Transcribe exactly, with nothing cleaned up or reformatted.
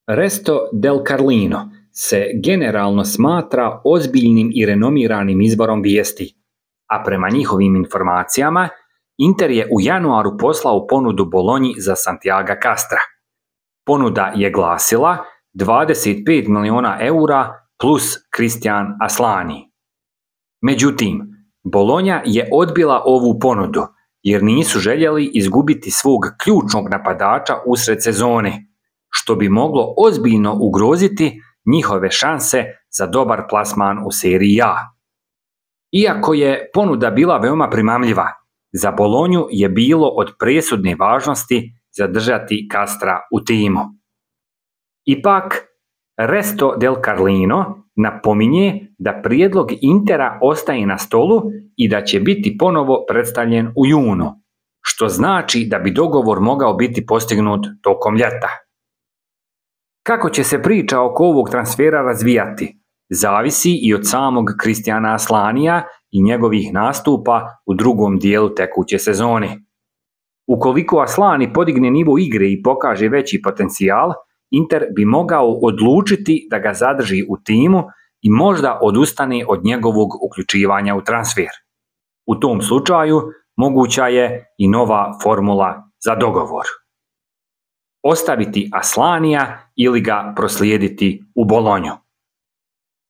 Resto del Carlino se generalno smatra ozbiljnim i renomiranim izvorom vijesti, a prema njihovim informacijama Inter je u januaru poslao ponudu Bolonji za Santiaga Castra. Ponuda je glasila dvadeset pet milijuna eura plus Christian Aslani. Međutim, Bolonja je odbila ovu ponudu jer nisu željeli izgubiti svog ključnog napadača usred sezone, što bi moglo ozbiljno ugroziti njihove šanse za dobar plasman u seriji A. Iako je ponuda bila veoma primamljiva, za Bolonju je bilo od presudne važnosti zadržati Castra u timu. Ipak, Resto del Carlino napominje da prijedlog Intera ostaje na stolu i da će biti ponovo predstavljen u junu, što znači da bi dogovor mogao biti postignut tokom ljeta. Kako će se priča oko ovog transfera razvijati, zavisi i od samog Christiana Aslanija i njegovih nastupa u drugom dijelu tekuće sezone. Ukoliko Aslani podigne nivo igre i pokaže veći potencijal, Inter bi mogao odlučiti da ga zadrži u timu i možda odustane od njegovog uključivanja u transfer. U tom slučaju moguća je i nova formula za dogovor. Ostaviti Aslanija ili ga proslijediti u Bolonju.